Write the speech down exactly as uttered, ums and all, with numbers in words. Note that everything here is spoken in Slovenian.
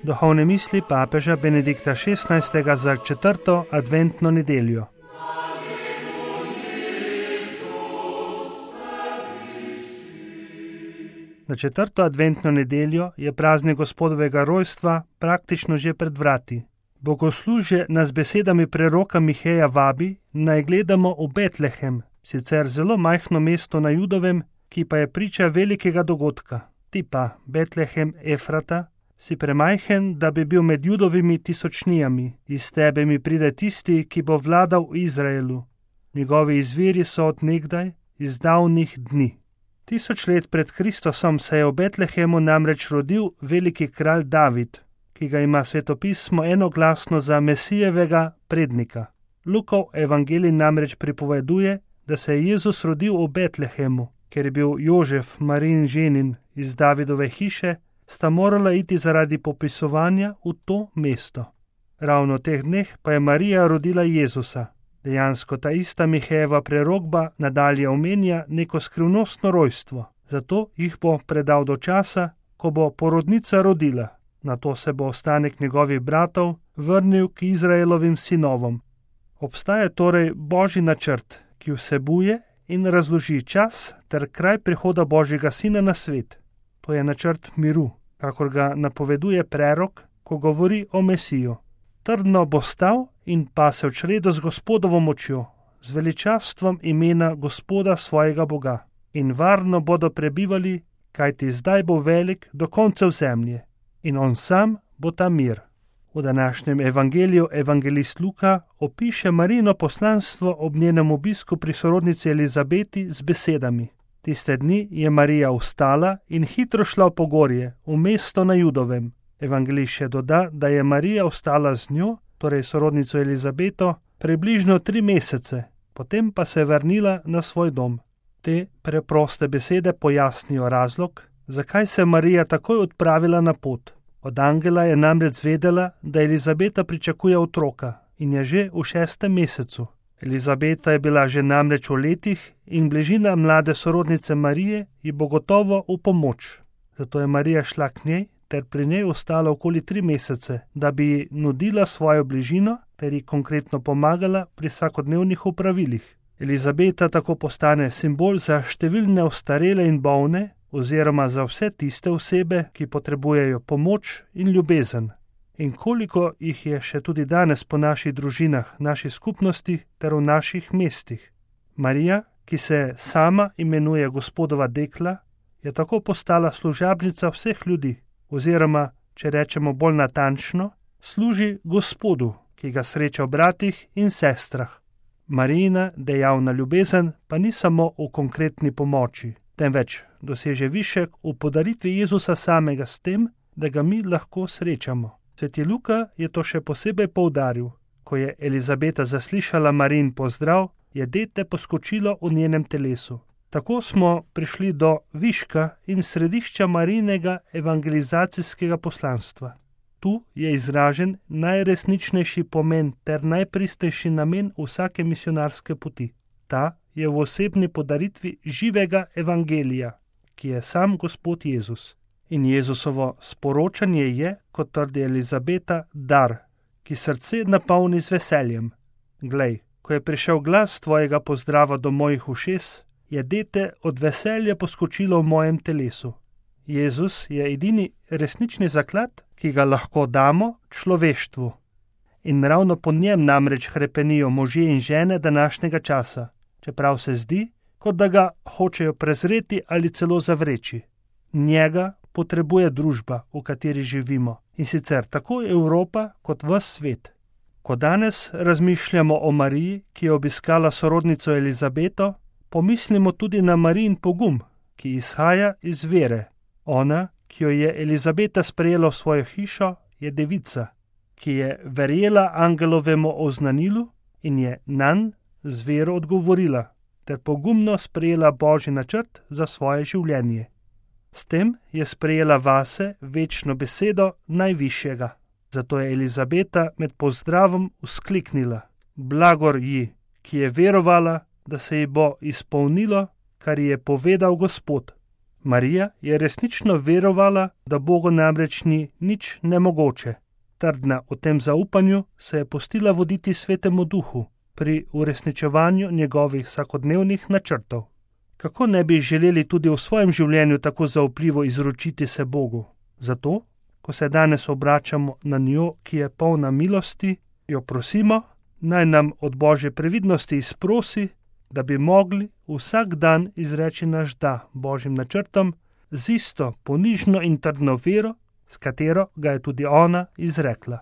Duhovne misli papeža Benedikta šestnajstega za četrto adventno nedeljo. Na četrto adventno nedeljo je praznik Gospodovega rojstva praktično že pred vrati. Bogoslužje nas z besedami preroka Miheja vabi, naj gledamo v Betlehem, sicer zelo majhno mesto na Judovem, ki pa je priča velikega dogodka. Ti pa, Betlehem Efrata, si premajhen, da bi bil med Judovimi tisočnijami. Iz tebe mi pride tisti, ki bo vladal v Izraelu. Njegovi izviri so od nekdaj, iz davnih dni. Tisoč let pred Kristusom se je v Betlehemu namreč rodil veliki kralj David, ki ga ima svetopismo enoglasno za Mesijevega prednika. Lukov evangelij namreč pripoveduje, da se je Jezus rodil v Betlehemu, ker je bil Jožef, Marijin ženin iz Davidove hiše, sta morala iti zaradi popisovanja v to mesto. Ravno v teh dneh pa je Marija rodila Jezusa. Dejansko ta ista Mihejeva prerokba nadalje omenja neko skrivnostno rojstvo, zato jih bo predal do časa, ko bo porodnica rodila. Nato se bo ostanek njegovih bratov vrnil k Izraelovim sinovom. Obstaja torej Božji načrt, ki vsebuje in razloži čas ter kraj prihoda Božjega sina na svet. To je načrt miru, kakor ga napoveduje prerok, ko govori o Mesiju. Trdno bo stal in pasel čredo z Gospodovo močjo, z veličastvom imena Gospoda svojega Boga. In varno bodo prebivali, kajti zdaj bo velik do koncev zemlje. In on sam bo ta mir. V današnjem evangeliju evangelist Luka opiše Marijino poslanstvo ob njenem obisku pri sorodnici Elizabeti z besedami. Tiste dni je Marija vstala in hitro šla v pogorje, v mesto na Judovem. Evangelist še doda, da je Marija ostala z njo, torej sorodnico Elizabeto, približno tri mesece, potem pa se je vrnila na svoj dom. Te preproste besede pojasnijo razlog, zakaj se Marija takoj odpravila na pot. Od angela je namreč zvedela, da Elizabeta pričakuje otroka in je že v šestem mesecu. Elizabeta je bila že namreč v letih in bližina mlade sorodnice Marije ji bo gotovo v pomoč. Zato je Marija šla k njej ter pri njej ostala okoli tri mesece, da bi ji nudila svojo bližino ter ji konkretno pomagala pri vsakodnevnih opravilih. Elizabeta tako postane simbol za številne ostarele in bolne oziroma za vse tiste osebe, ki potrebujejo pomoč in ljubezen. In koliko jih je še tudi danes po naših družinah, naših skupnostih ter v naših mestih. Marija, ki se sama imenuje Gospodova dekla, je tako postala služabnica vseh ljudi, oziroma, če rečemo bolj natančno, služi Gospodu, ki ga sreča v bratih in sestrah. Marijina dejavna ljubezen pa ni samo v konkretni pomoči, temveč doseže višek v podaritvi Jezusa samega s tem, da ga mi lahko srečamo. Sveti Luka je to še posebej poudaril. Ko je Elizabeta zaslišala Marijin pozdrav, je dete poskočilo v njenem telesu. Tako smo prišli do viška in središča Marijinega evangelizacijskega poslanstva. Tu je izražen najresničnejši pomen ter najpristnejši namen vsake misionarske poti. Ta je v osebni podaritvi živega evangelija, ki je sam Gospod Jezus. In Jezusovo sporočanje je, kot trdi Elizabeta, dar, ki srce napolni z veseljem. Glej, ko je prišel glas tvojega pozdrava do mojih ušes, je dete od veselja poskočilo v mojem telesu. Jezus je edini resnični zaklad, ki ga lahko damo človeštvu. In ravno po njem namreč hrepenijo možje in žene današnjega časa, čeprav se zdi, kot da ga hočejo prezreti ali celo zavreči. Njega potrebuje družba, v kateri živimo, in sicer tako Evropa kot ves svet. Ko danes razmišljamo o Mariji, ki je obiskala sorodnico Elizabeto, pomislimo tudi na Marijin pogum, ki izhaja iz vere. Ona, ki jo je Elizabeta sprejela v svojo hišo, je devica, ki je verjela angelovemu oznanilu in je nanj z vero odgovorila, ter pogumno sprejela Božji načrt za svoje življenje. S tem je sprejela vase večno besedo najvišjega. Zato je Elizabeta med pozdravom vzkliknila: Blagor ji, ki je verovala, da se ji bo izpolnilo, kar ji je povedal Gospod. Marija je resnično verovala, da Bogu namreč ni nič nemogoče. Trdna o tem zaupanju se je pustila voditi Svetemu Duhu pri uresničevanju njegovih vsakodnevnih načrtov. Kako ne bi želeli tudi v svojem življenju tako zaupljivo izročiti se Bogu? Zato, ko se danes obračamo na njo, ki je polna milosti, jo prosimo, naj nam od Božje previdnosti izprosi, da bi mogli vsak dan izreči naš da Božjim načrtom z isto ponižno in trdno vero, s katero ga je tudi ona izrekla.